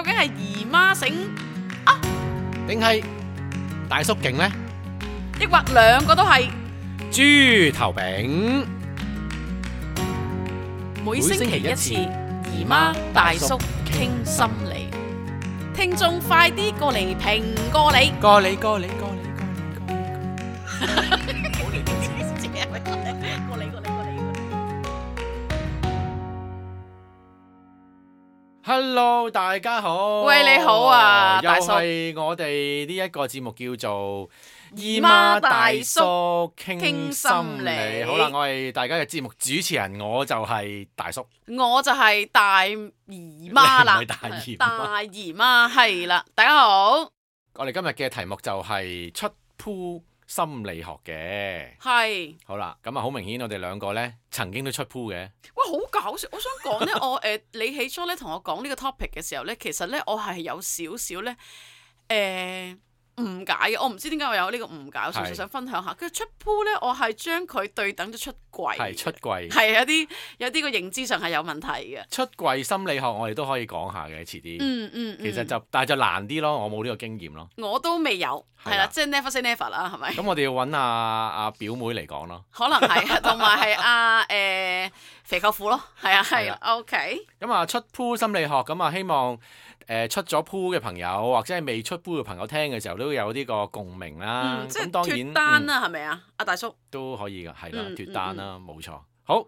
究竟係姨媽醒啊，定係大叔勁呢？抑或兩個都係？豬頭餅，每星期一次，姨媽大叔傾心理，聽眾快啲過嚟評過你。過你。過嚟。Hello， 大家好。喂，你好啊，大叔。又係我哋呢一個節目叫做姨媽大叔傾傾心理好啦，我係大家嘅節目主持人，我就係大叔。我就係大姨媽啦，你唔係大姨媽大姨媽係啦，大家好。我哋今日嘅題目就係出 pool 心理學嘅。係。好啦，咁啊好明顯，我哋兩個呢曾經都出 pool 嘅。哇，好搞笑！我想講咧，你起初咧同我講呢個 topic 嘅時候咧，其實咧我係有少少咧誤解嘅。我唔知點解我有呢個誤解，我純粹想分享下。佢出 pool 咧，我係將佢對等咗出櫃。係出櫃。係有啲個認知上係有問題嘅。出櫃心理學我哋都可以講下嘅，遲啲。其實但係就難啲咯，我冇呢個經驗咯。我都未有，係啦，即係 never say never 啦，係咪？咁我哋要揾阿表妹嚟講咯。可能係，同埋係肥舅父咯，係啊 OK。咁啊出 pool 心理學，咁啊希望出咗 pool 嘅朋友或者係未出 pool 嘅朋友聽嘅時候都有呢個共鳴啦。即係當然脫單啦，係咪啊？阿大叔都可以㗎，係啦，脫單啦，冇錯。好，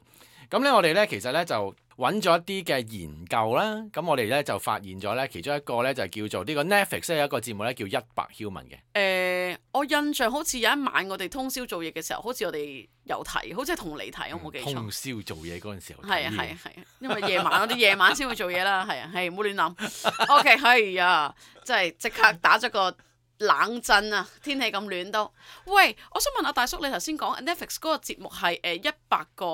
咁咧我哋咧其實咧就揾咗一啲嘅研究啦。咁我哋咧就發現咗咧其中一個咧就叫做呢個 Netflix 有一個節目咧叫100 Human 嘅。我印象好似有一晚我哋通宵做嘢嘅時候，好似我哋有睇，好似係同你睇，我冇記錯。通宵做嘢嗰陣時候睇。係啊，因為夜晚我哋夜晚先會做嘢啦，係唔好亂諗。OK，係啊，真係即刻打咗個冷震啊！天氣咁暖都。喂，我想問阿大叔，你頭先講 Netflix 嗰個節目係100個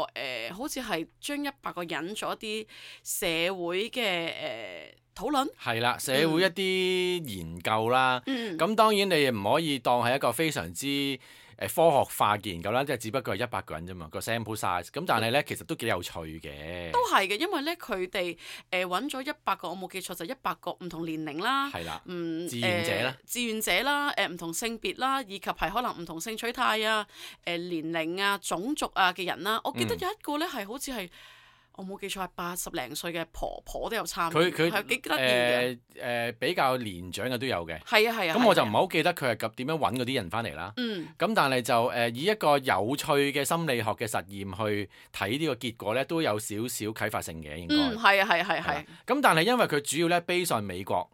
好似係將100個人做一啲社會嘅討論。係啦，社會一啲研究啦。咁當然你唔可以當係一個非常之科學化嘅研究啦，即係只不過係100個人啫嘛，個 sample size。咁但係咧，其實都幾有趣嘅。都係嘅，因為咧佢哋揾咗100個，我冇記錯就100個唔同年齡啦，係啦，志願者啦，志願者啦，唔同性別啦，以及係可能唔同性取態啊、年齡啊、種族啊嘅人啦。我記得有一個咧係好似係。我冇記錯係80零歲嘅婆婆都有參與，佢係幾得意嘅。比較年長嘅都有嘅。係啊。咁我就唔係好記得佢係點樣揾嗰啲人翻嚟啦。咁但係就以一個有趣嘅心理學嘅實驗去睇呢個結果咧，都有少少啟發性嘅應該。係。咁但係因為佢主要咧 base on美國，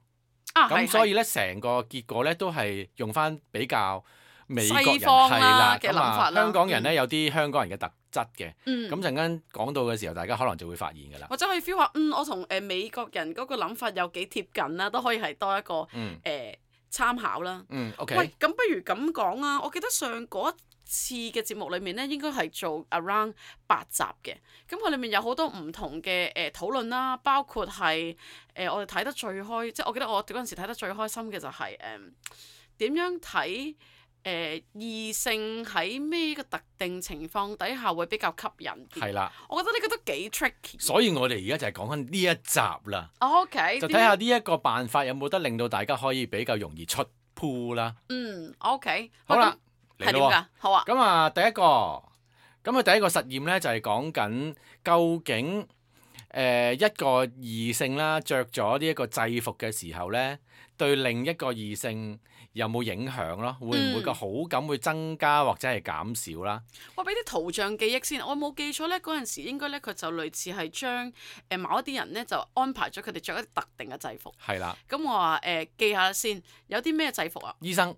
咁所以咧成個結果咧都係用翻比較美國人西方啦嘅諗法啦。香港人咧有啲香港人嘅特質嘅，咁陣間講到嘅時候，大家可能就會發現㗎啦。或者可以 feel 下，我同美國人嗰個諗法有幾貼近啦，都可以係多一個參考啦。OK。喂，咁不如咁講啊！我記得上嗰一次嘅節目裏面咧，應該係做 around 8集嘅。咁佢裏面有好多唔同嘅討論啦，包括係我哋睇得最開，即係我記得我嗰陣時睇得最開心嘅就係點樣睇。異性喺咩個特定情況底下會比較吸引啲？係啦，我覺得呢個都幾 tricky。所以我哋而家就係講緊呢一集啦。OK，就睇下呢一個辦法有冇得令到大家可以比較容易出 pool 啦。OK。好啦，係點㗎？好啊。咁啊，第一個實驗咧就係講緊究竟一個異性啦，着咗呢一個制服嘅時候咧，對另一個異性有冇影響咯？會唔會個好感會增加或者係減少啦？我俾啲圖像記憶先，我冇記錯咧，嗰陣時應該咧佢就類似係將某一啲人咧就安排咗佢哋着一啲特定嘅制服。係啦。咁我話記下先，有啲咩制服啊？醫生。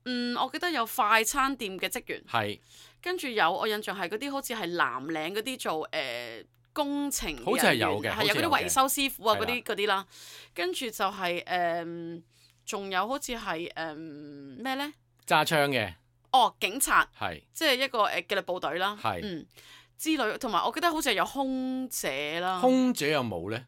我記得有快餐店嘅職員。係。跟住有我印象係嗰啲好似係藍領嗰啲做工程嘅人員，好似係有嘅，係有嗰啲維修師傅啊嗰啲啦。跟住就係仲有好似係咩咧？揸槍嘅。警察。係。即係一個紀律部隊啦。係。之類，同埋我記得好似係有空姐啦。空姐有冇咧？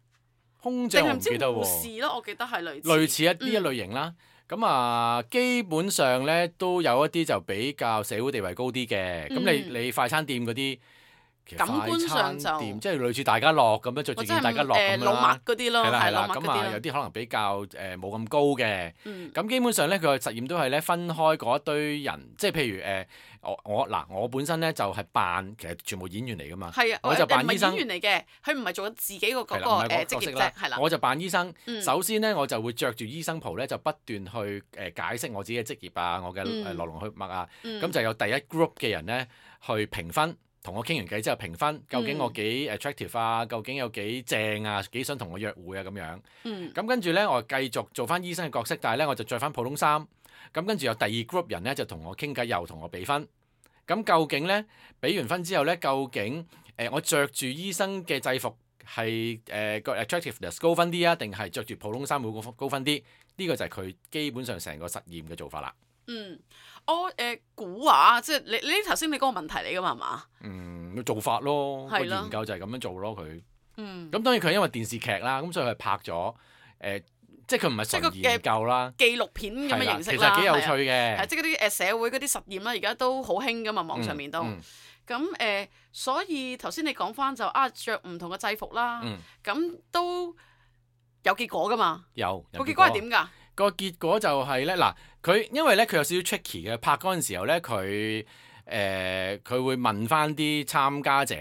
空姐我唔記得喎。定係唔知護士咯？我記得係類似呢一類型啦。咁基本上咧都有一啲就比較社會地位高啲嘅。咁你快餐店嗰啲其實感官上快餐就店即係類似大家樂咁樣，着住或者係件大家樂咁樣老啦麥。嗰啲咯，係啦係啦，老麥嗰咁啊有啲咯。啲可能比較冇咁高嘅。嗯咁基本上咧，佢個實驗都係咧分開嗰一堆人，即係譬如我本身咧就係扮，其實全部演員嚟噶嘛。係啊，我就扮唔係醫生演員嚟嘅，佢唔係做緊自己個嗰係啦，個唔係嗰個職業啫，角色啦係啦。我就扮醫生。嗯首先咧，我就會着住醫生袍咧，就不斷去解釋我自己嘅職業啊，我嘅來龍去脈啊。咁就有第一 group 嘅人咧去評分，同我傾完偈之後評分，究竟我幾 attractive 啊，究竟有幾正啊，幾想同我約會啊咁樣。咁跟住咧，我繼續做翻醫生嘅角色，但係咧我就着翻普通衫。咁跟住有第二 group 人咧就同我傾偈，又同我俾分。咁究竟咧俾完分之後咧，究竟我着住醫生嘅制服係個 attractiveness 高分啲啊，定係着住普通衫會高分啲？呢個就係佢基本上成個實驗嘅做法啦。我估話，即係你頭先你嗰個問題嚟㗎嘛，係嘛？做法咯，個係咯研究就係咁樣做咯，佢。嗯。咁當然佢係因為電視劇啦，咁所以佢拍咗即係佢唔係純研究啦，紀錄片咁係啦，嘅形式啦，其實幾有趣係嘅。即係嗰啲社會嗰啲實驗啦，而家都好興㗎嘛，網上面都。咁所以頭先你講翻就着唔同嘅制服啦，咁都有結果㗎嘛？有個結果係點㗎？個結果就係咧，嗱，佢因為咧佢有少少 tricky 嘅，拍嗰陣時候咧佢會問翻啲參加者，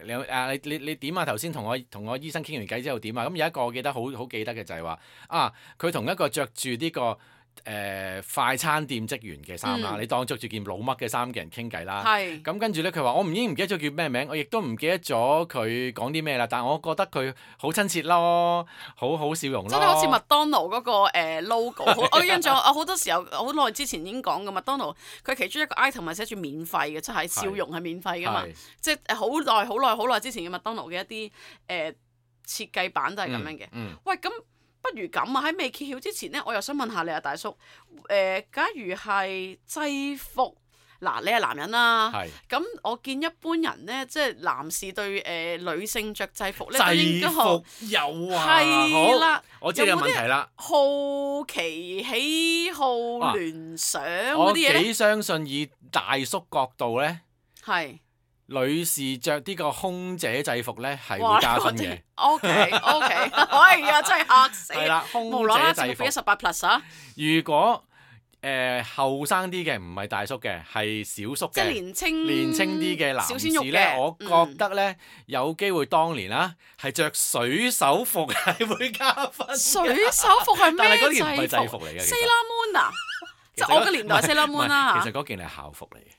你點啊？頭先同我醫生傾完偈之後點啊？咁有一個我記得好記得嘅就係話佢同一個着住呢個快餐店職員嘅衫啦，你當着住件老乜嘅衫嘅人傾偈啦。係。咁跟住咧，佢話我唔記得咗叫咩名，我亦都唔記得咗佢講啲咩啦。但係我覺得佢好親切咯，好笑容咯。真係好似麥當勞嗰個logo，我印象我好多時候好耐之前已經講過麥當勞，佢其中一個 item 係寫住免費嘅，即係笑容係免費㗎嘛。即係好耐之前嘅麥當勞嘅一啲設計版都係咁樣嘅。喂，咁不如咁啊！喺未揭曉之前咧，我又想問下你啊，大叔。假如係制服，嗱，你係男人啦。係。咁我見一般人咧，即係男士對女性着制服咧，都制應該服有啊。係啦。我知你有問題啦。好奇、喜好、聯想嗰啲嘢咧。我幾相信以大叔角度咧，係。女士着呢個空姐制服咧係會加分嘅。OK，哎呀，真係嚇死！係啦，空無啦啦姐制服。俾18 plus 啊！如果後生啲嘅唔係大叔嘅，係小叔嘅，即係年青啲嘅男士小鮮肉咧，嘅我覺得咧有機會當年啦，係着水手服係會加分嘅。水手服係但係嗰咩件唔係制服嚟嘅。 Sailor Moon 啊，即係我嘅年代 Sailor Moon 啦。其實嗰件係校服嚟嘅。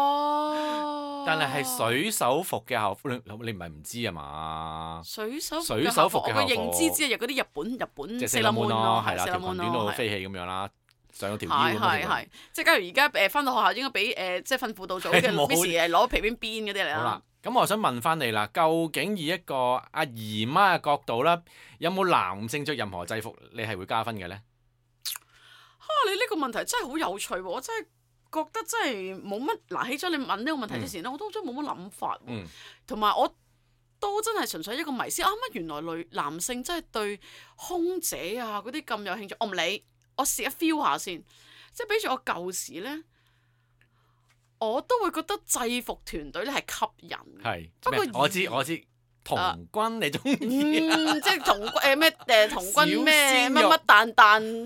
哦。但係水手服嘅校服，你唔係唔知啊嘛？水手服嘅校服，我嘅認知只係嗰啲日本即係 Sailor Moon 咯，係啦，條裙短到飛起咁樣啦，上咗條腰咁樣。係，即係假如而家翻到學校應該俾即係訓輔導組嘅 Miss 攞皮鞭鞭嗰啲嚟啦。好啦，咁我想問翻你啦，究竟以一個阿姨媽嘅角度啦，有冇男性着任何制服你係會加分嘅咧？你呢個問題真係好有趣喎！我真係覺得真係冇乜嗱，起咗你問呢個問題之前咧，我都真係冇乜諗法喎。同埋我都真係純粹一個迷思乜原來男性真係對空姐啊嗰啲咁有興趣，我唔理，我試下 feel 下先。即係比住我舊時咧，我都會覺得制服團隊咧係吸引。係。不過我知。童軍你中意？即係童軍咩童軍咩乜蛋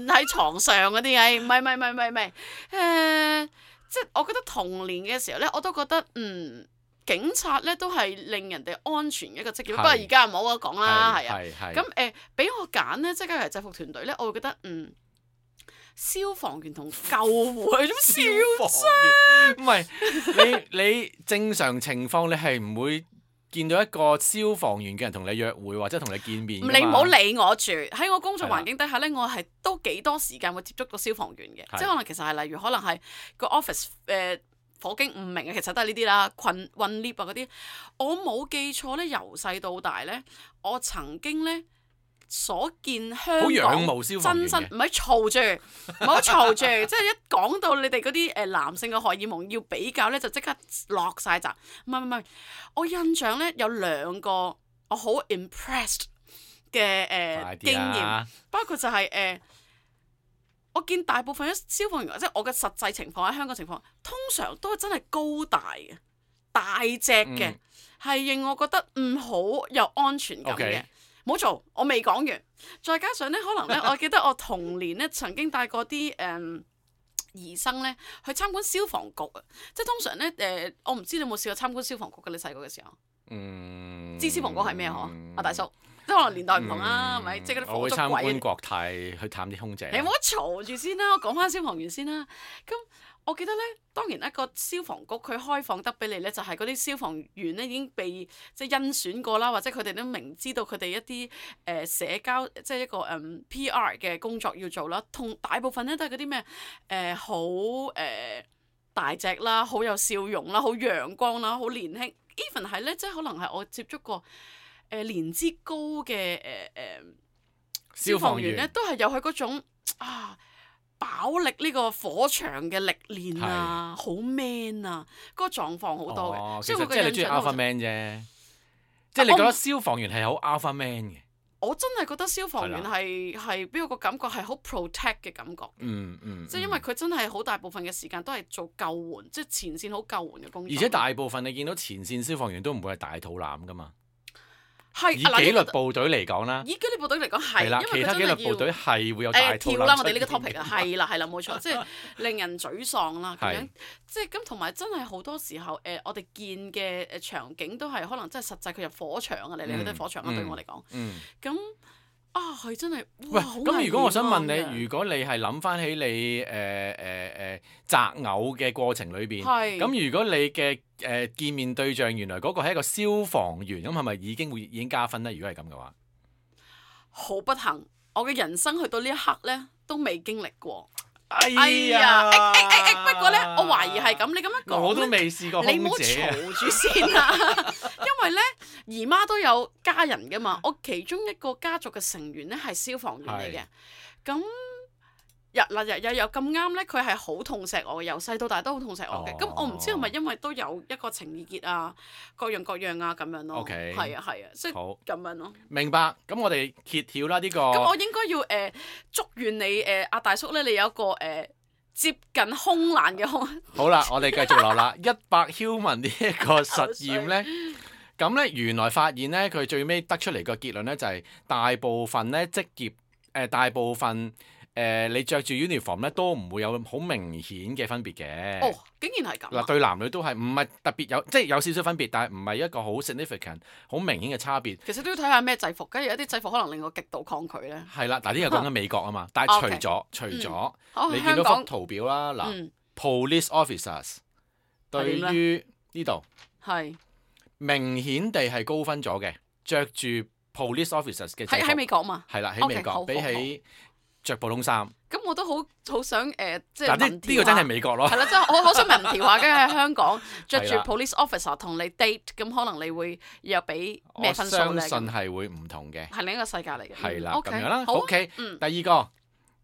喺床上嗰啲唔係即係我覺得童年嘅時候咧，我都覺得警察咧都係令人哋安全嘅一個職業。不過而家唔好講啦，係啊。咁俾我揀咧，即係假如制服團隊咧，我會覺得消防員同救護係咁消防員。唔係你正常情況，你係唔會見到一個消防員嘅人同你約會或者同你見面。你唔好理我住，喺我工作環境底下咧，我係都幾多時間會接觸到消防員嘅，即係可能其實係例如可能係個 office 火警唔明嘅，其實都係呢啲啦，運 lift 啊嗰啲。我冇記錯咧，由細到大咧，我曾經咧所見香港真身唔係嘈住，唔好嘈住，即係一講到你哋嗰啲男性嘅荷爾蒙要比較咧，就即刻落晒閘。唔係，我印象咧有2個我好 impressed 嘅經驗，包括就係我見大部分嘅消防員，即係我嘅實際情況喺香港情況，通常都係真係高大嘅。大隻嘅，係令我覺得好有安全感嘅。唔好做，我未講完。再加上咧，可能咧，我記得我童年咧曾經帶過啲兒生咧去參觀消防局啊，即係通常咧我唔知你有冇試過參觀消防局嘅？你細個嘅時候，知消防局係咩嗬？阿大叔，即係可能年代唔同啦，係咪？即係嗰啲火燭鬼。我會參觀國泰去探啲空姐。你唔好嘈住先啦，我講翻消防員先啦。咁我記得咧，當然一個消防局佢開放得俾你咧，就係嗰啲消防員咧已經被即係甄選過啦，或者佢哋都明知道佢哋一啲社交即係一個PR 嘅工作要做啦。同大部分咧都係嗰啲咩好大隻啦，好有笑容啦，好陽光啦，好年輕。even 係咧，即係可能係我接觸過年資高嘅消防員咧，都係有佢嗰種飽歷呢個火場嘅歷練啊，好 man 啊，嗰個狀況好多嘅。其實即係你中意 Alpha Man 啫，即係你覺得消防員係好 Alpha Man 嘅。我真係覺得消防員係俾我個感覺係好 protect 嘅感覺。即係因為佢真係好大部分嘅時間都係做救援，即係前線好救援嘅工作。而且大部分你見到前線消防員都唔會係大肚腩噶嘛。以紀律部隊嚟講啦，以紀律部隊嚟講係，因為其他紀律部隊係會有大肚腩。跳啦，我哋呢個 topic 啊，係啦，冇錯，即係令人沮喪啦咁樣。即係咁同埋真係好多時候我哋見嘅場景都係可能真係實際佢入火場啊，嚟去都係火場啊，對我嚟講。咁係真係哇！咁如果我想問你，如果你係諗翻起你擇偶嘅過程裏邊，咁如果你嘅見面對象原來嗰個係一個消防員，咁係咪已經加分咧？如果係咁嘅話，好不幸，我嘅人生去到呢一刻咧，都未經歷過。哎呀！不過咧，我懷疑係咁。你咁樣講，我都未試過空姐。你唔好嘈住先啦，因為咧姨媽都有家人噶嘛。我其中一個家族嘅成員咧係消防員嚟嘅，咁日有咁啱咧，佢係好痛錫我嘅，由細到大都好痛錫我嘅。咁我唔知係咪因為都有一個情意結啊，各樣啊咁樣咯。係啊，即係咁樣咯。明白。咁我哋揭曉啦呢個。咁我應該要祝願你阿大叔咧，你有一個接近空難嘅空。好啦，我哋繼續落啦。100 human 呢一個實驗咧，咁咧原來發現咧，佢最尾得出嚟個結論咧就係大部分咧職業大部分。你着住 uniform 咧都唔會有好明顯嘅分別嘅。哦，竟然係咁。嗱，對男女都係唔係特別有，即係有少少分別，但係唔係一個好 significant、好明顯嘅差別。其實都要睇下咩制服，跟住有啲制服可能令我極度抗拒咧。係啦，嗱呢個講緊美國啊嘛，但係除咗，你見到幅圖表啦，嗱，police officers 對於呢度係明顯地係高分咗嘅，着住 police officers 嘅制服喺美國嘛。係啦，喺美國比起着普通衫，咁我都好想即係呢個真係美國咯。係啦，即係我好想民調下，跟住喺香港着住 police officer 同你 date，咁可能你會又俾咩分數咧？我相信係會唔同嘅，係另一個世界嚟嘅。係啦，咁樣啦。OK，第二個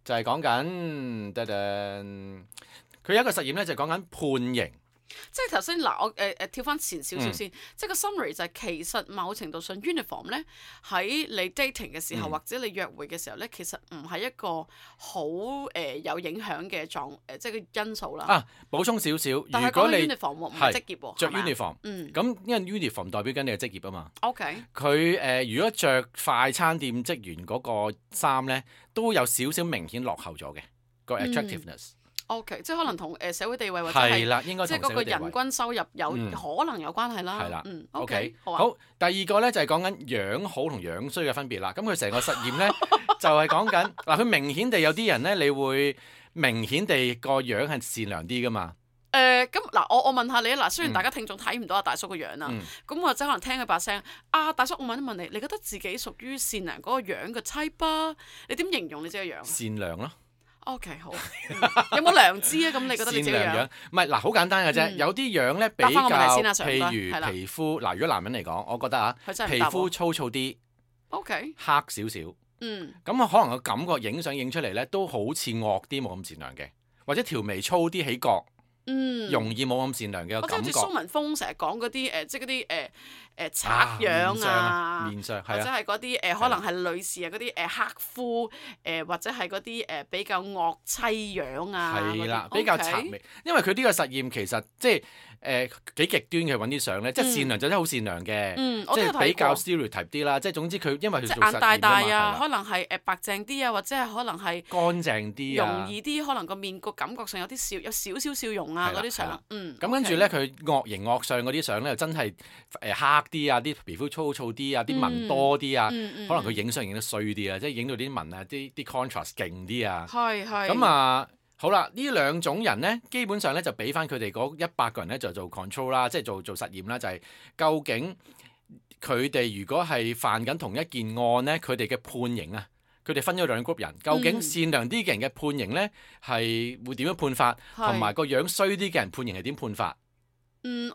就係講緊，佢有一個實驗咧，就係講緊判刑。即係頭先嗱，我跳翻前少少先，即係個 summary 就係其實某程度上 uniform 咧喺你 dating 嘅時候或者你約會嘅時候咧，其實唔係一個好有影響嘅即係個因素啦。補充少少，如果你 uniform 唔係職業喎，着 uniform，咁因為 uniform 代表緊你嘅職業啊嘛。OK，佢如果着快餐店職員嗰個衫咧，都有少少明顯落後咗嘅個 attractiveness。O.K. 即係可能同社會地位或者係即係嗰個人均收入可能有關係啦。係啦，O.K. 好。第二個咧就係講緊樣好同樣衰嘅分別啦。咁佢成個實驗咧就係講緊嗱，佢明顯地有啲人咧，你會明顯地個樣係善良啲噶嘛。咁嗱，我問下你嗱，雖然大家聽眾睇唔到阿大叔個樣啦，咁或者可能聽佢把聲。大叔，我問一問你，你覺得自己屬於善良嗰個樣嘅 type 啊？你點形容你自己個樣？善良咯。O.K. 好，有冇良知啊？咁你覺得你自己樣？唔係嗱，好簡單嘅啫。有啲樣咧比較，譬如皮膚嗱，如果男人嚟講，我覺得皮膚粗糙啲，O.K. 黑少少，咁可能個感覺影相影出嚟咧，都好似惡啲，冇咁善良嘅，或者條眉粗啲起角，容易冇咁善良嘅感覺。好似蘇文峰成日講嗰啲即係嗰啲賊樣啊，面相或者係嗰啲可能係女士啊嗰啲黑膚或者係嗰啲比較惡妻樣啊，係啦，比較賊眉。因為佢呢個實驗其實即係幾極端嘅揾啲相咧，即係善良就真係好善良嘅，即係比較 stereotype 啲啦。即係總之佢因為佢做實驗眼大大啊，嘛可能係白淨啲啊，或者係可能係乾淨啲容易啲，可能個面個感覺上有少少笑容啊嗰啲相。咁跟住咧，佢惡形惡相嗰啲相咧，又真係黑啲啊，啲皮膚粗糙啲啊，啲紋多啲啊，可能佢影相影得衰啲啊，即係影到啲紋啊，啲 contrast 勁啲啊。係。咁啊，好啦，呢兩種人咧，基本上咧就俾翻佢哋嗰100個人咧就做 control 啦，即係做實驗啦，就係究竟佢哋如果係犯緊同一件案咧，佢哋嘅判刑啊，佢哋分咗兩 group 人，究竟善良啲嘅人嘅判刑咧係會點樣判法，同埋個樣衰啲嘅人判刑係點判法？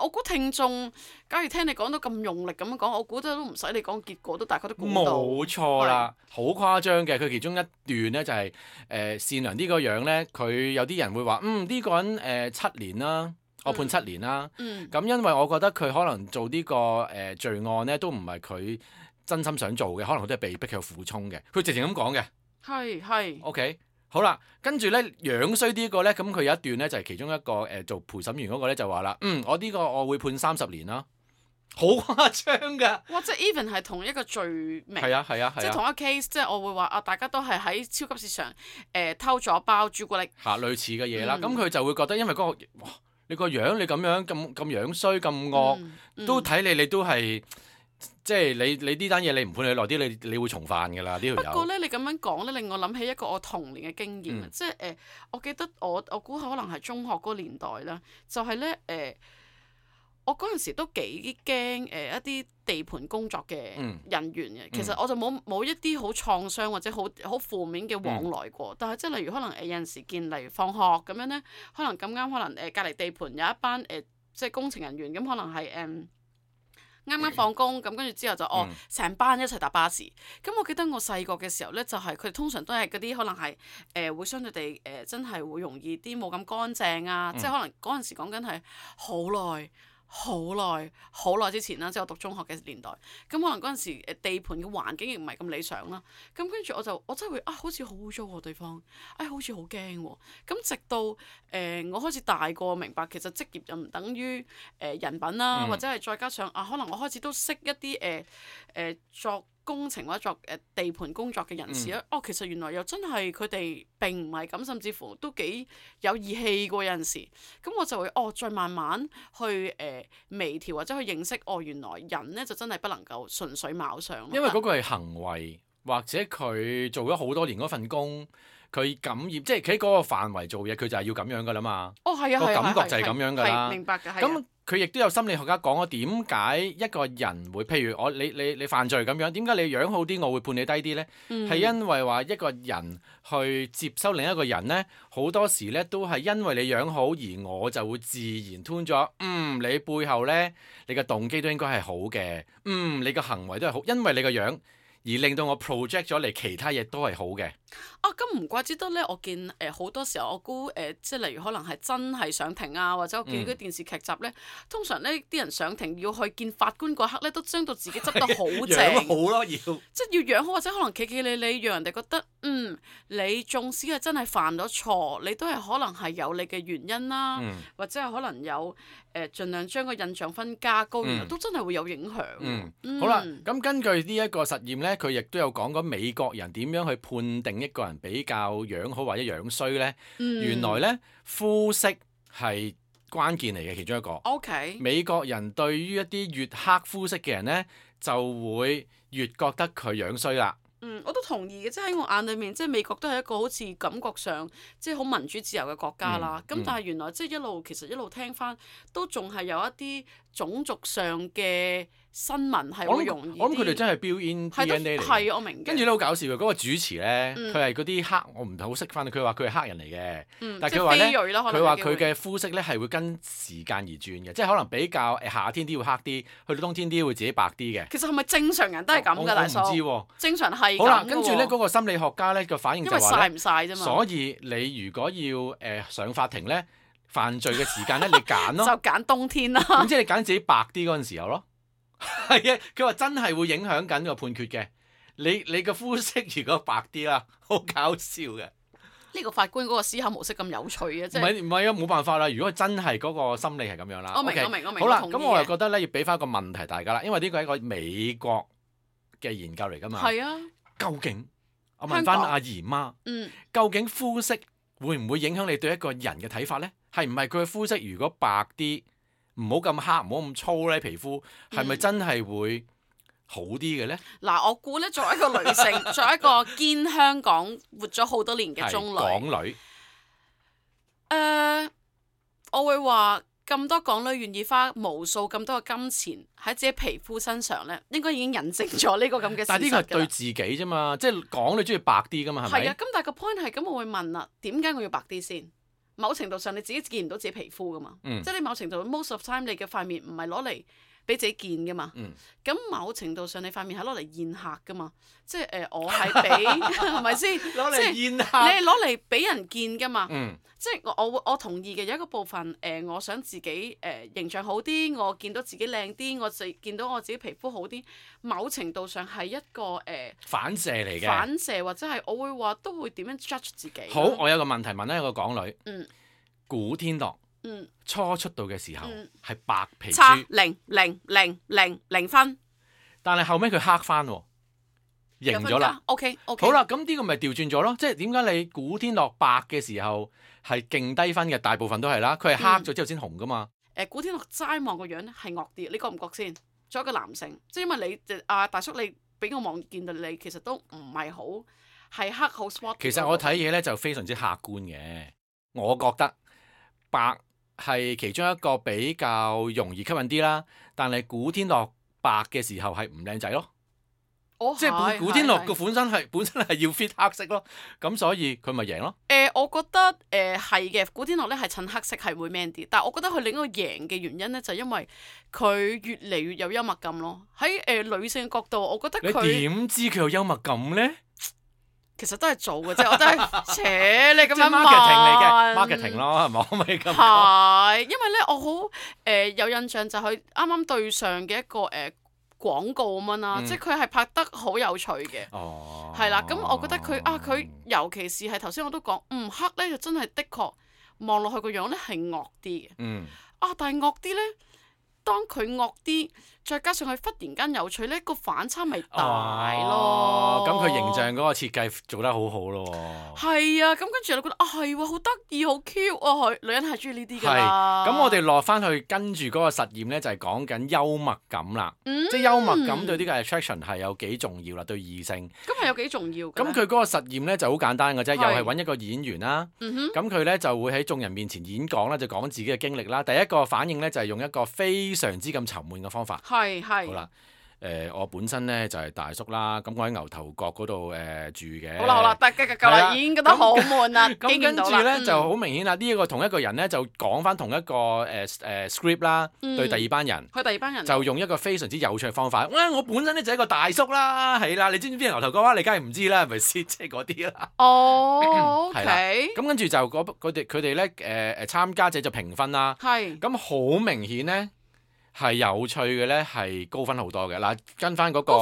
我估聽眾，假如聽你講到咁用力咁樣講，我估都唔使你講結果，都大概都估到。冇錯啦，好誇張嘅。佢其中一段咧就係善良啲個樣咧，佢有啲人會話呢個人7年啦，我判7年啦。咁因為我覺得佢可能做呢個罪案咧，都唔係佢真心想做嘅，可能佢都係被逼去苦衷嘅。佢直情咁講嘅。係。OK。好啦，跟住咧樣衰啲個咧，咁佢有一段咧就係其中一個做陪審員嗰個咧就話啦，我呢個我會判30年啦，好誇張㗎！哇！即係 even 係同一個罪名，係啊，即係同一 case，即係我會話大家都係喺超級市場偷咗包朱古力類似嘅嘢啦，咁佢就會覺得因為嗰個哇，你個樣你咁樣咁樣衰咁惡，都睇你都係。即係你呢單嘢你唔判你耐啲，你會重犯㗎啦呢條友。不過咧，你咁樣講咧，令我諗起一個我童年嘅經驗即係我記得我估可能係中學嗰個年代啦，就係咧我嗰陣時都幾驚一啲地盤工作嘅人員嘅。其實我就冇一啲好創傷或者好負面嘅往來過。但係即係例如可能有陣時見，例如放學咁樣咧，可能咁啱可能隔離地盤有一班即係工程人員咁，可能係啱啱放工咁，跟住之後就成班一齊搭巴士。咁我記得我細個嘅時候咧，就係佢哋通常都係嗰啲可能係會相對地真係會容易啲冇咁乾淨啊，即係可能嗰陣時講緊係好耐之前啦，即係我讀中學嘅年代。咁可能嗰陣時地盤嘅環境亦唔係咁理想啦。咁跟住我真係會好似好污糟喎地方，好似好驚喎。咁直到我開始大個明白，其實職業又唔等於人品啦，或者係再加上可能我開始都識一啲作工程或者作地盤工作嘅人士咧，其實原來又真係佢哋並唔係咁，甚至乎都幾有義氣過有陣時。咁我就會再慢慢去微調或者去認識原來人咧就真係不能夠純粹貌相。因為嗰個係行為，或者佢做咗好多年嗰份工，佢感染，即係佢喺嗰個範圍做嘢，佢就係要咁樣噶啦嘛。係啊，個感覺就係咁樣噶啦。明白嘅。咁佢亦都有心理學家講咗點解一個人會，譬如你犯罪咁樣，點解你樣好啲，我會判你低啲呢？係因為話一個人去接收另一個人呢，好多時呢都係因為你樣好，而我就會自然 tune 咗。你背後呢，你嘅動機都應該係好嘅。你嘅行為都係好，因為你個樣而令到我 project 咗嚟其他嘢都係好嘅。咁唔怪之得咧，我見好多時候我估即係例如可能係真係上庭啊，或者我見嗰啲電視劇集咧，通常咧啲人上庭要去見法官嗰刻咧，都將到自己執得好正，樣好咯，即係要養好，或者可能企企理理，讓人哋覺得你縱使係真係犯咗錯，你都係可能係有你嘅原因啦，或者係可能有盡量將個印象分加高，原來都真係會有影響。好啦，咁根據呢一個實驗咧，佢亦都有講過美國人點樣去判定一個人比較樣好或者樣衰咧。原來咧膚色係關鍵嚟嘅其中一個。OK。美國人對於一啲越黑膚色嘅人咧，就會越覺得佢樣衰啦。我都同意嘅，即係喺我眼裏面，即係美國都係一個好似感覺上即係好民主自由嘅國家啦。咁但係原來即係其實一路聽翻，都仲係有一啲種族上嘅新聞係會容易啲。我諗佢哋真係 build in DNA 嚟。係我明嘅。跟住都好搞笑嘅，嗰個主持咧，佢係嗰啲黑，我唔係好識翻。佢話佢係黑人嚟嘅，但係佢話咧，佢話佢嘅膚色咧係會跟時間而轉嘅，即係可能比較夏天啲會黑啲，去到冬天啲會自己白啲嘅。其實係咪正常人都係咁㗎？大叔，我唔知喎。正常係咁。好啦，跟住咧嗰個心理學家咧個反應就話咧，因為曬唔曬啫嘛。所以你如果要上法庭咧，犯罪嘅時間咧，你揀咯，就揀冬天啦。咁即係你揀自己白啲嗰陣時候咯。係啊，佢話真係會影響緊個判決嘅。你個膚色如果白啲啦，好搞笑嘅。呢個法官嗰個思考模式咁有趣嘅，即係唔係啊，冇辦法啦。如果真係嗰個心理係咁樣啦，我明 OK，我明我明。好啦，我同意嘅咁我又覺得咧要俾翻一個問題大家啦，因為呢個係一個美國嘅研究嚟㗎嘛。係啊，究竟我問翻阿姨媽，究竟膚色會唔會影響你對一個人嘅睇法咧？係唔係佢嘅膚色如果白啲，唔好咁黑，唔好咁粗咧，皮膚係咪真係會好啲嘅咧？嗱，我估咧，作為一個女性，作為一個堅香港活咗好多年嘅中女，港女，我會話咁多港女願意花無數咁多嘅金錢喺自己皮膚身上咧，應該已經印證咗呢個咁嘅事實㗎啦。但係呢個係對自己啫嘛，即係港女中意白啲㗎嘛，係咪？係啊，咁但係個 point 係咁，我會問啦，點解我要白啲先？某程度上你自己見唔到自己皮膚㗎嘛，即係你某程度 most of time 你嘅塊面唔係攞嚟俾自己見㗎嘛，咁某程度上你塊面係攞嚟宴客㗎嘛，即係我係俾係咪先？攞嚟宴客，你係攞嚟俾人見㗎嘛，嗯，即係我同意嘅有一個部分我想自己形象好啲，我見到自己靚啲，我就見到我自己皮膚好啲，某程度上係一個反射嚟嘅，反射或者係我會話都會點樣 judge 自己。好，我有個問題問一個港女，古天樂，初出道嘅時候係白皮差豬，零分，但係後尾佢黑翻喎，贏咗啦。OK，好啦，咁呢個咪調轉咗咯，即係點解你古天樂白嘅時候係勁低分嘅，大部分都係啦，佢係黑咗之後先紅噶嘛。古天樂齋望個樣咧係惡啲，你覺唔覺先？作為一個男性，即係因為你大叔你俾我望見到你其實都唔係好係黑好 spot。其實我睇嘢咧就非常之客觀嘅，我覺得白係其中一個比較容易吸引啲啦，但係古天樂白嘅時候係唔靚仔咯。即係古天樂個本身係要 fit 黑色咯，咁所以佢咪贏咯。我覺得係嘅，古天樂咧係襯黑色係會 man 啲，但係我覺得佢另一個贏嘅原因咧就係因為佢越嚟越有幽默感咯。喺女性角度，我覺得佢你點知佢有幽默感咧？其實都係做嘅啫，我都係扯你咁樣 marketing 嚟嘅 marketing 咯，係咪？可唔可以咁講？係，因為咧我好有印象就係佢啱啱對上嘅一個廣告咁樣啦，即係佢係拍得好有趣嘅，係啦。咁我覺得佢尤其是係頭先我都講，黑咧就真係的確望落去個樣咧係惡啲嘅，但係惡啲咧，當佢惡啲，再加上佢忽然間有趣咧，個反差咪大咯。咁佢形象嗰個設計做得好好咯。係啊，咁跟住你覺得係喎，好得意，好 cute 啊！佢女人係中意呢啲㗎啦。咁我哋落翻去跟住嗰個實驗咧，就係講緊幽默感啦。即係幽默感對呢個 attraction 係有幾重要啦，對異性。咁係有幾重要㗎？咁佢嗰個實驗咧就好簡單嘅啫，又係揾一個演員啦。咁佢咧就會喺眾人面前演講啦，就講自己嘅經歷啦。第一個反應咧就係用一個非常之咁沉悶嘅方法。係。好啦，我本身咧就係大叔啦，咁我喺牛頭角嗰度住嘅。好啦，得夠啦，已經覺得好悶啦。咁跟住咧就好明顯啦，呢一個同一個人咧就講翻同一個script 啦，對第二班人。佢第二班人就用一個非常之有趣嘅方法。我本身咧就係一個大叔啦，係啦，你知唔知邊個牛頭角啊？你梗係唔知啦，係咪先？即係嗰啲啦。OK。咁跟住就佢哋咧參加者就評分啦。係。咁好明顯咧。係有趣嘅咧，係高分好多嘅。嗱，跟翻嗰個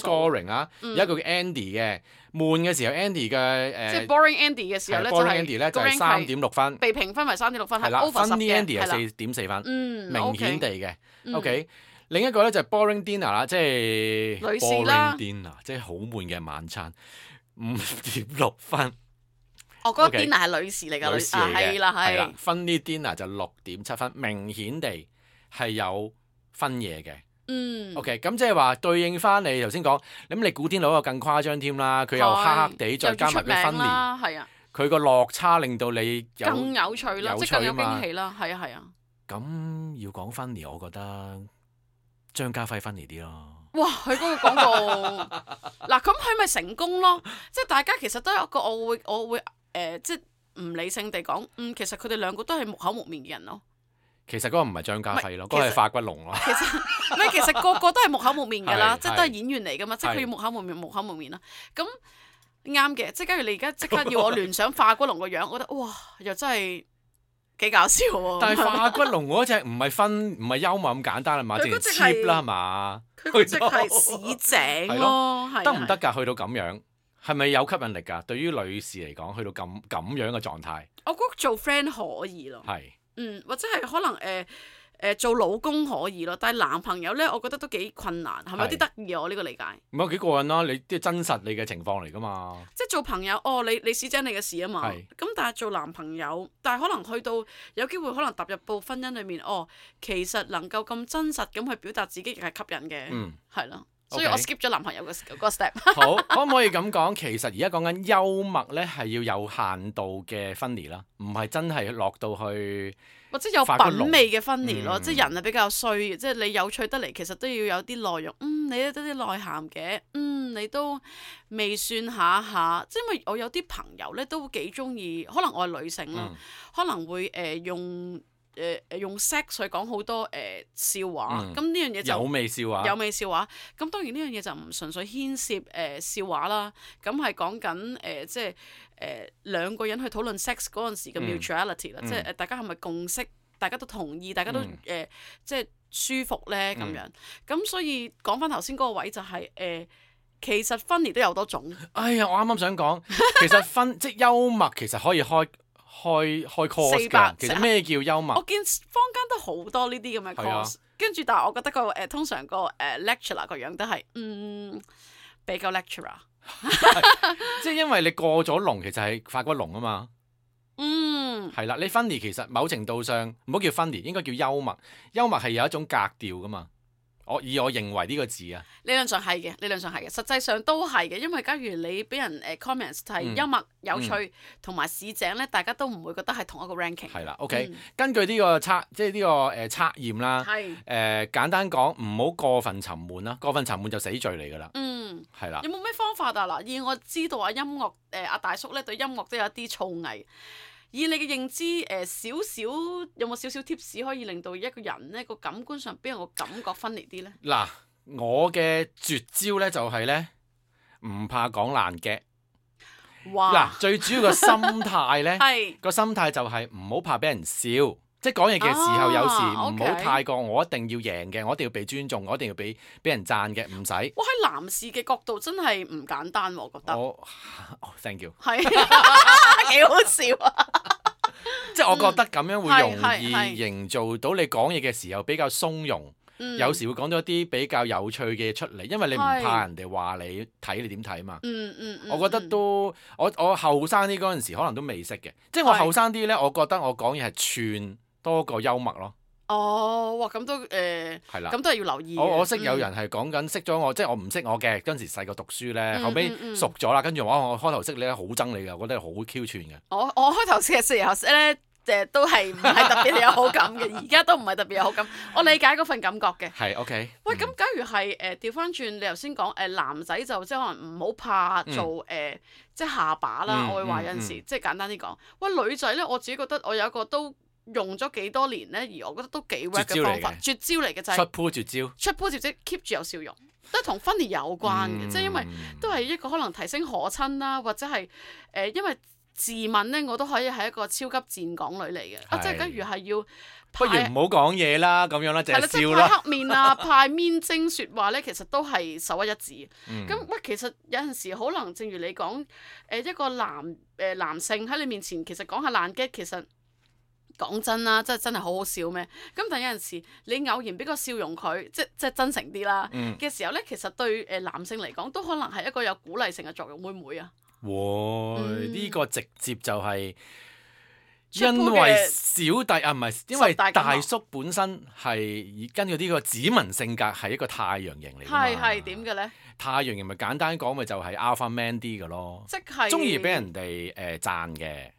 scoring 啊，有一個叫 Andy 嘅，悶嘅時候 Andy 嘅即係 boring Andy 嘅時候咧，就係3.6分，被評分為3.6分，係啦 over 10 Andy 係4.4分，明顯地嘅。嗯 OK，另一個咧就係 boring dinner 啦，即係女士啦 boring dinner，即係好悶嘅晚餐，5.6分。我嗰個 dinner 係女士嚟㗎，女士嚟嘅，係啦係。funny dinner 就6.7分，明顯地。係有分嘢嘅，OK，咁即係話對應翻你頭先講，咁你古天樂嗰個更誇張添啦，佢又黑黑地，再加埋佢分年，佢個落差令到你更有趣啦，即係更有驚喜啦，係啊。咁要講分年，我覺得張家輝分年啲咯。哇！佢嗰個廣告，嗱咁佢咪成功咯？即係大家其實都有一個，我會即係唔理性地講，其實佢哋兩個都係木口木面嘅人咯。其實嗰個唔係張家輝咯，嗰個係化骨龍咯。其實個個都係木口木面㗎啦，即係都係演員嚟㗎嘛，即係佢要木口木面啦。咁啱嘅，即係假如你而家即刻要我聯想化骨龍個樣，我覺得哇，又真係幾搞笑喎。但係化骨龍嗰隻唔係幽默咁簡單啊嘛，淨係 cheap 啦係嘛？佢嗰隻係市井咯，得唔得㗎？去到咁樣係咪有吸引力㗎？對於女士嚟講，去到咁樣嘅狀態，我覺得做 friend 可以咯。係或者係可能做老公可以咯，但係男朋友咧，我覺得都幾困難，係咪有啲得意啊？我呢個理解。唔係幾過癮啦！你即係真實你嘅情況嚟㗎嘛？即係做朋友，你屎井你嘅事啊嘛。咁但係做男朋友，但係可能去到有機會，可能踏入到婚姻裏面，其實能夠咁真實咁去表達自己，亦係吸引嘅。係咯。所以我 skip 咗男朋友嗰個 step。好，可唔可以咁講？其實而家講緊幽默咧，係要有限度嘅分離啦，唔係真係落到去或者有品味嘅分離咯。即係人係比較衰嘅，即係你有趣得嚟，其實都要有啲內容。你都得啲內涵嘅。你都未算下。即係因為我有啲朋友咧都幾中意，可能我係女性啦，可能會用 sex 去講好多笑話，咁呢樣嘢就有味笑話。咁當然呢樣嘢就唔純粹牽涉笑話啦，咁係講緊即係兩個人去討論 sex 嗰陣時嘅 mutuality 啦，即係大家係咪共識，大家都同意，大家都即係舒服咧咁樣。咁所以講翻頭先嗰個位就係其實分離都有好多種。哎呀，我啱啱想講，其實即係幽默其實可以開 course 㗎。其實咩叫幽默？我見坊間都好多呢啲咁嘅 course，跟住但係我覺得通常個lecturer 個樣都係比較 lecturer。即係因為你過咗龍，其實係發骨龍啊嘛。係啦，你分離其實某程度上唔好叫分離，應該叫幽默。幽默係有一種格調㗎嘛。我認為呢個字啊，理論上係嘅，實際上都係嘅，因為假如你俾人comments 係幽默、有趣同埋市井咧，大家都唔會覺得係同一個 ranking。係啦，OK，根據呢個測測驗啦，簡單講，唔好過分沉悶啦，過分沉悶就死罪嚟㗎啦。係啦。有冇咩方法啊？嗱，以我知道音樂阿大叔咧對音樂都有一啲造詣。以你嘅認知，有冇少少 tips 可以令到一個人咧個感官上邊有個感覺分離啲咧？嗱，我嘅絕招咧就係咧唔怕講爛嘅。哇！嗱，最主要個心態咧，個心態就係唔好怕俾人笑，即係講嘢嘅時候有時唔好太過我一定要贏嘅，我一定要被尊重，我一定要俾人讚嘅，唔使。哇！喺男士嘅角度真係唔簡單，我覺得。thank you。係幾好笑啊！即係我覺得咁樣會容易營造到你講嘢嘅時候比較鬆容，有時會講到一啲比較有趣嘅嘢出嚟，因為你唔怕人哋話你睇你點睇嘛。我覺得都我後生啲嗰陣時可能都未識嘅，即係我後生啲咧，我覺得我講嘢係串多過幽默咯。哇！咁都係啦，咁都係要留意。我識有人係講緊識咗我，即係我唔識我嘅嗰陣時細個讀書咧，後尾熟咗啦，跟住我開頭識你咧好憎你㗎，我覺得好 Q 串嘅。我開頭識嘅時候咧，都係唔係特別有好感嘅，而家都唔係特別有好感。我理解嗰份感覺嘅。係 OK。喂，咁假如係調翻轉，你頭先講男仔就即係可能唔好怕做即係下巴啦。我會話有陣時即係簡單啲講，喂女仔咧，我自己覺得我有一個都用咗幾多年咧，而我覺得都幾 work 嘅方法，絕招嚟嘅就係出 pool 絕招 keep 住有笑容，都係同 funny 有關嘅，即係因為都係一個可能提升可親啦，或者係因為自問咧，我都可以係一個超級賤港女嚟嘅，即係假如係要不如唔好講嘢啦，咁樣啦，淨係笑啦。派黑面啊，派面精説話咧，其實都係首屈一指。咁其實有陣時可能正如你講，一個男性喺你面前，其實講下爛 gag，其實。講真啦，真係好好笑咩？咁但係有陣時你偶然俾個笑容佢，即係真誠啲啦嘅時候咧，其實對男性嚟講都可能係一個有鼓勵性嘅作用，會唔會啊？呢個直接就係因為小弟唔係因為大叔本身係根據呢個指紋性格係一個太陽型嚟㗎嘛。係點嘅咧？太陽型咪簡單講咪就係 alpha man 啲嘅咯，即係中意俾人哋讚嘅，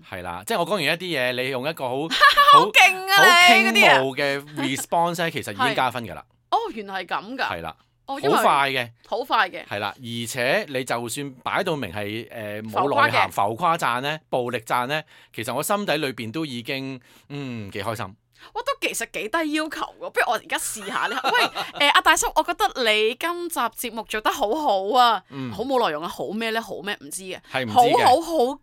係啦，即係我講完一啲嘢，你用一個好勁啊，好傾慕嘅 response 咧，其實已經加分㗎啦。原來係咁㗎。係啦，好快嘅，係啦，而且你就算擺到明係冇內涵、浮誇讚咧、暴力讚咧，其實我心底裏邊都已經幾開心。我都其實幾低要求喎，不如我而家試下咧。喂，阿大叔，我覺得你今集節目做得好好啊，好冇內容啊，好咩咧？好咩？唔知嘅，好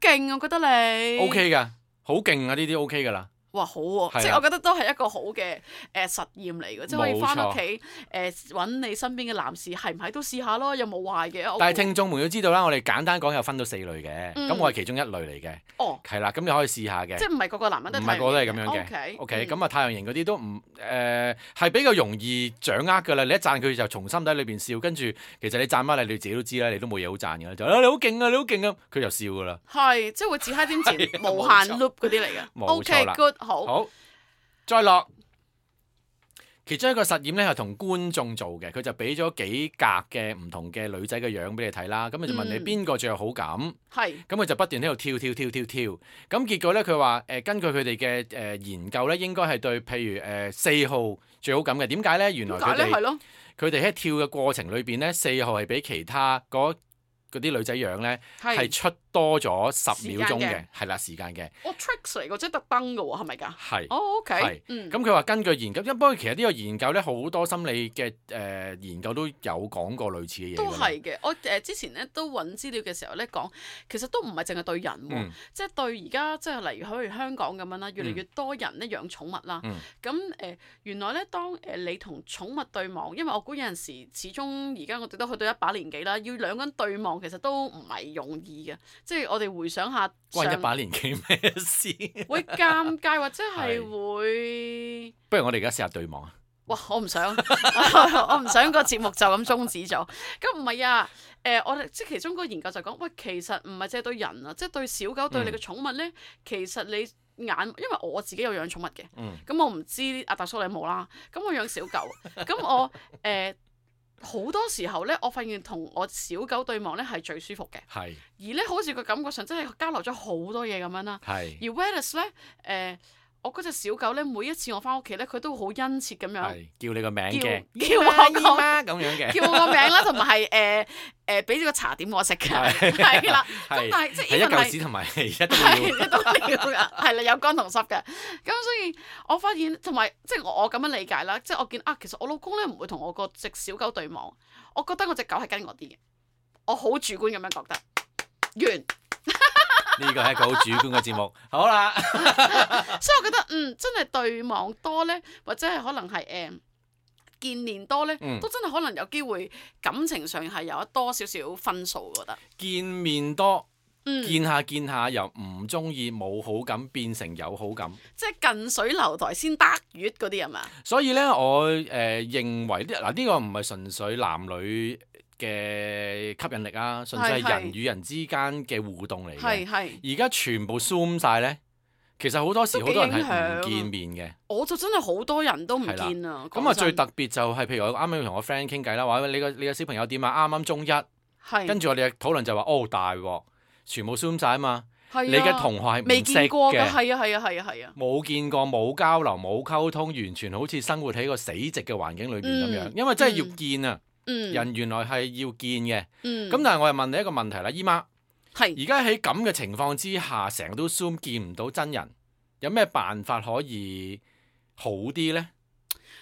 勁啊！我覺得你 OK 噶，好勁啊！呢啲 OK 噶啦。哇，好喎、係啊即係我覺得都係一個好嘅實驗嚟嘅，即係可以翻冇錯屋企揾你身邊嘅男士係唔係都試下咯，有冇壞嘅？但係聽眾們要知道啦，我哋簡單講有分到4類嘅，嗯咁我係其中一類嚟嘅，哦，係啦，咁你可以試下嘅即。係唔係個個男人都唔係個個都係咁樣嘅。 OK， OK，咁啊太陽型嗰啲都唔係比較容易掌握㗎啦。你一讚佢就從心底裏邊笑，跟住其實你讚乜你自己都知啦，你都冇嘢好讚㗎啦，就你好勁啊，你好勁啊，佢就笑㗎啦。係即係會自嗨點前係無限冇錯 loop 嗰啲嚟嘅。冇 OK 錯啦 good 好。好，再落其中一個實驗咧係同觀眾做嘅，佢就俾咗幾格嘅唔同嘅女仔嘅樣俾你睇啦，咁佢就問你邊個最有好感。係咁佢就不斷喺度跳，咁結果咧佢話根據佢哋嘅研究咧，應該係對譬如4號最好感嘅。點解咧？原來點解咧？係佢咯，哋喺跳嘅過程裏邊咧，4號係比其他嗰啲女仔樣咧係出多咗10秒鐘嘅，係啦時間嘅，我 tricks 嚟嘅，即係特登嘅喎，係咪㗎？係。哦，OK，係嗯，咁佢話根據研究，不過其實呢個研究咧好多心理嘅研究都有講過類似嘅嘢㗎都啦。係嘅。我之前咧都揾資料嘅時候咧講，其實都唔係淨係對人喎，嗯即係對而家即係例如好似香港咁樣啦，越嚟越多人咧養寵物啦。嗯咁原來咧當你同寵物對望，因為我估有陣時始終而家我哋都去到一把年紀啦，要兩個人對望其實都唔係容易嘅，即係我哋回想下關一把年紀咩事？會尷尬或者係係會。不如我哋而家試下對望啊！哇！我唔想，我唔想個節目就咁終止咗。咁唔係啊，我哋即係其中嗰個研究就講，喂，其實唔係淨係對人啊，即係對小狗對你嘅寵物咧，其實你眼，因為我自己有養寵物嘅，咁我唔知阿大叔你有冇啦。咁我養小狗，咁我好多時候咧，我發現同我小狗對望咧係最舒服嘅，係而咧好似個感覺上真係交流咗好多嘢咁樣啦。係而 Wallace 咧，我嗰隻小狗咧，每一次我翻屋企咧，佢都好殷切咁樣係叫你個名嘅，叫我個姨媽咁樣嘅，叫我個名啦，同埋係俾咗個茶點我食嘅，係啦。咁但係即係係一 even 係嚿屎同埋一都係要。都料㗎，係啦，有乾同濕嘅。咁所以我發現同埋即係我咁樣理解啦，即係我見啊，其實我老公咧唔會同我個隻小狗對望，我覺得我隻狗係跟我啲嘅，我好主觀咁樣覺得。完。呢個係一個好主觀嘅節目。好啦，所以我覺得真係對望多咧，或者係可能係見面多咧，都真係可能有機會感情上係有多少少分數，我覺得。見面多，見下由唔中意冇好感變成有好感，即係近水樓台先得月嗰啲係嘛？所以咧我認為呢個唔係純粹男女嘅吸引力啊，純粹係人與人之間嘅互動嚟嘅。係。而家全部 zoom 晒咧，其實好多時好多人係唔見面嘅。我就真係好多人都唔見啊！咁啊最特別就係譬如我啱啱同我 friend 傾偈啦，話你個小朋友點啊？啱啱中一，係跟住我哋嘅討論就話大鑊，全部 zoom 晒啊嘛。係啊你嘅同學係未唔識見過㗎，嘅，係啊！冇見過，冇交流，冇溝通，完全好似生活喺個死寂嘅環境裏邊咁樣。因為真係要見啊，人原來係要見嘅。咁但係我又問你一個問題啦，姨媽，而家喺咁嘅情況之下，成日都 zoom 見唔到真人，有咩辦法可以好啲呢？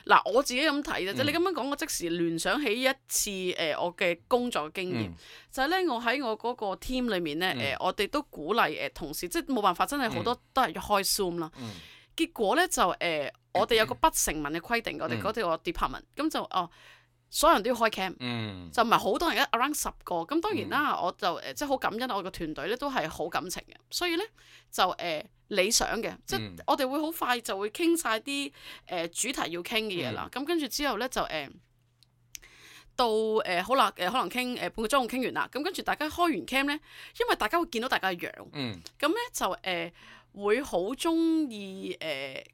嗱，我自己咁睇啫，即係你咁樣講，我即時聯想起一次我嘅工作經驗，就係咧我喺我嗰個 team 裏面咧我哋都鼓勵同事，即係冇辦法，真係好多都係要開 Zoom 啦。結果咧就我哋有個不成文嘅規定，我哋嗰個 department 咁就所有人都要開 cam，就唔係好多人，around 10個。咁當然啦，我就即係好感恩我個團隊咧都係好感情嘅，所以咧就理想嘅，即係我哋會好快就會傾晒啲主題要傾嘅嘢啦。咁跟住之後咧就到好啦，可能傾半個鐘傾完啦。咁跟住大家開完 cam 咧，因為大家會見到大家嘅樣，咁咧就會好中意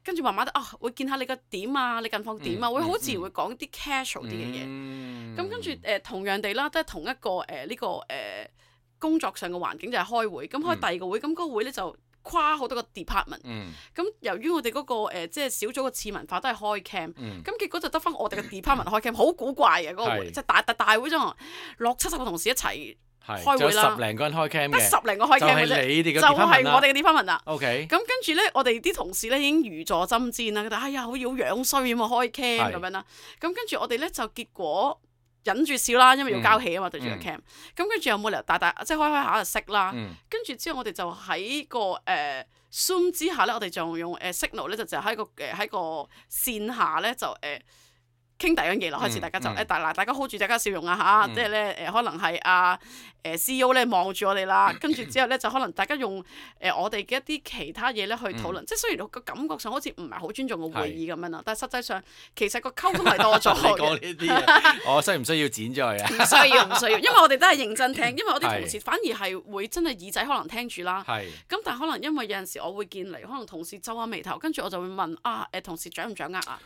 跟住慢慢會見下你個點啊，你近況點啊，會好自然會講啲 casual 啲嘅嘢。咁跟住同樣地啦，都係同一個呢個工作上嘅環境就係開會。咁開第二個會，咁嗰個會咧就跨好多個 department。咁由於我哋嗰個即係小組嘅次文化都係開 cam，咁結果就得翻我哋嘅 department 開 cam，好古怪嘅嗰個會，即係大會中60-70個同事一齊開會啦，十零個人開 cam 嘅，得10零個開 cam 嘅啫，就係你哋嘅就係我哋嘅 department 啦。OK，咁跟住咧，我哋啲同事咧已經如坐針氈啦，覺得哎呀好樣衰咁啊開 cam 咁樣啦。咁跟住我哋咧就結果忍住笑啦，因為要交戲啊嘛，對住個 cam。咁跟住有冇理由大即係開下就識啦。跟住之後我哋就喺個Zoom 之下咧，我哋就用Signal 咧，就喺個線下咧就傾第樣嘢咯，開始大家就大家 hold 住大家笑容啊嚇，即係咧可能係CEO 咧望住我哋啦，跟住之後咧就可能大家用我哋嘅一啲其他嘢咧去討論，即係雖然個感覺上好似唔係好尊重個會議咁樣啦，但係實際上其實個溝通係多咗嘅。你講呢啲嘢，我需唔需要剪咗佢啊？唔需要，因為我哋都係認真聽，因為我啲同事反而係會真係耳仔可能聽住啦。咁但係可能因為有陣時我會見嚟，可能同事皺下眉頭，跟住我就會問同事掌唔掌握啊？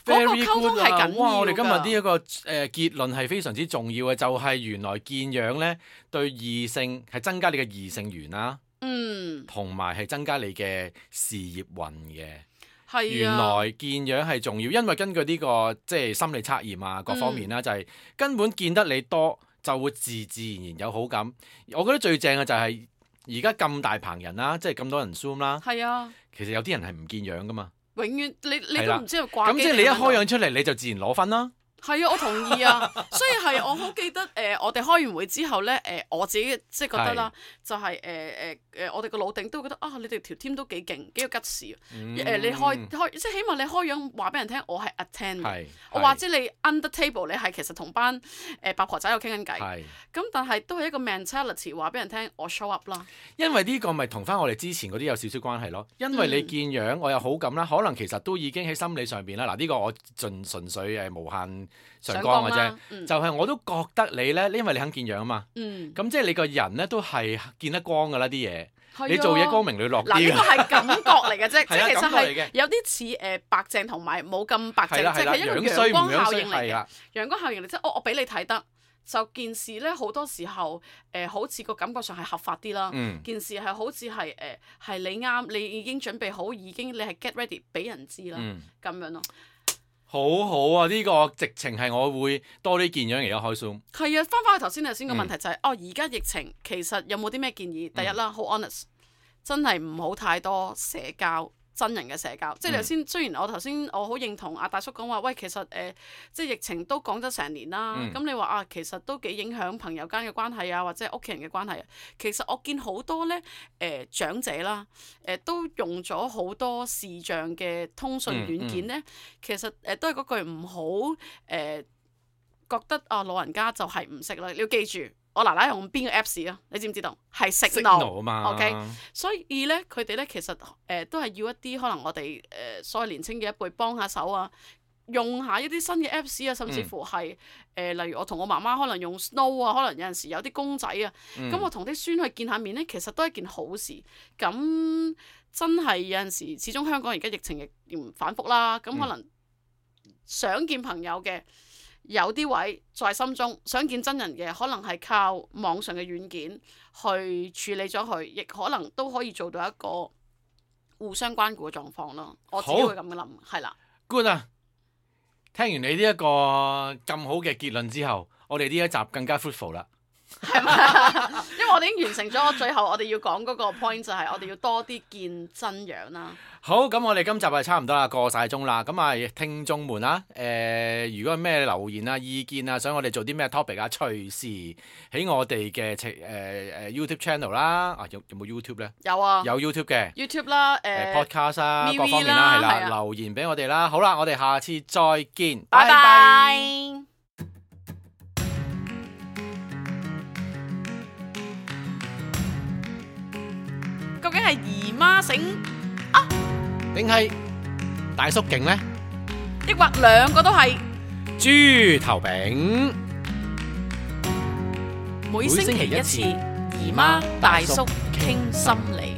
嗰個溝通係緊要㗎。哇！我哋今日呢一個結論係非常之重要嘅，就係原來見樣咧對異性係增加你嘅異性緣啦，同埋係增加你嘅事業運嘅。係啊，原來見樣係重要，因為根據呢個即係心理測驗啊各方面啦，就係根本見得你多就會自然有好感。我覺得最正嘅就係而家咁大棚人啦，即係咁多人 Zoom 啦。係啊，其實有啲人係唔見樣㗎嘛。永遠你都唔知佢掛機。咁即係你一開樣出嚟你就自然攞分啦。係啊，我同意啊，所以係我好記得我哋開完會之後咧我自己即係覺得啦，就係我哋個老頂都會覺得你哋條 team 都幾勁，幾有吉事。你開即係起碼你開樣話俾人聽，我係 attend，我或者你 under table 你係其實同班八婆仔喺度傾緊偈。咁但係都係一個 mentality 話俾人聽，我 show up 啦。因為呢個咪同翻我哋之前嗰啲有少少關係咯。因為你見樣我有好感啦，可能其實都已經喺心理上邊啦。嗱呢個我純粹無限上綱嘅啫，就係我都覺得你咧，因為你肯見樣啊嘛，咁即係你個人咧都係見得光噶啦啲嘢，你做嘢光明磊落啲。嗱呢個係感覺嚟嘅啫，即係其實係有啲似白淨同埋冇咁白淨，即係一個陽光效應嚟嘅。陽光效應嚟，即係我俾你睇得，就件事咧好多時候好似個感覺上係合法啲啦。件事係好似係你啱，你已經準備好，已經你係 get ready 俾人知啦，咁樣咯。好好啊！呢個直情係我會多啲見樣而家開 Zoom。係啊，翻去頭先個問題就係而家疫情其實有冇啲咩建議？第一啦，好 honest，真係唔好太多社交。真人嘅社交，即係頭先。雖然我頭先我好認同阿大叔講話，喂，其實即係疫情都講咗成年啦。咁你話其實都幾影響朋友間嘅關係啊，或者屋企人嘅關係啊。其實我見好多咧長者啦，都用咗好多視像嘅通訊軟件咧。其實都係嗰句唔好覺得老人家就係唔識啦。你要記住。我奶奶用邊個 Apps 啊？你知唔知道？係 Signal 啊嘛。OK， 所以咧，佢哋咧其實都係要一啲可能我哋所謂年青嘅一輩幫下手啊，用下一啲新嘅 Apps 啊，甚至乎係例如我同我媽媽可能用 Snow 啊，可能有陣時有啲公仔啊，咁我同啲孫去見下面咧，其實都係一件好事。咁真係有陣時，始終香港而家疫情亦反覆啦，咁可能想見朋友嘅。有啲位在心中想見真人嘅，可能係靠網上嘅軟件去處理咗佢，亦可能都可以做到一個互相關顧嘅狀況咯。我自己會咁樣諗，係啦。Good 啊！聽完你呢一個咁好嘅結論之後，我哋呢一集更加 fruitful 啦。係咪？因為我哋已經完成咗，最後我哋要講嗰個 point 就係我哋要多啲見真樣啦。好，咁我哋今集係差唔多啦，過晒鐘啦。咁啊，聽眾們啊，如果有咩留言啊、意見啊，想我哋做啲咩 topic 啊，隨時喺我哋嘅YouTube channel 啦。有冇 YouTube 咧？有啊，有 YouTube 嘅 YouTube 啦，podcast 啊，各方面啦，係啦，留言俾我哋啦。好啦，我哋下次再見，拜拜。究竟係姨媽醒啊，定係大叔勁呢？抑或兩個都係豬頭餅？每星期一次，姨媽大叔傾心理，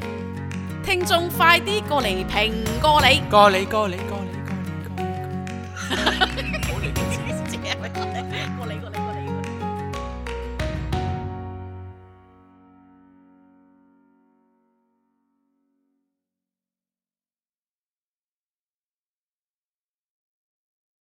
聽眾快啲過嚟評過你。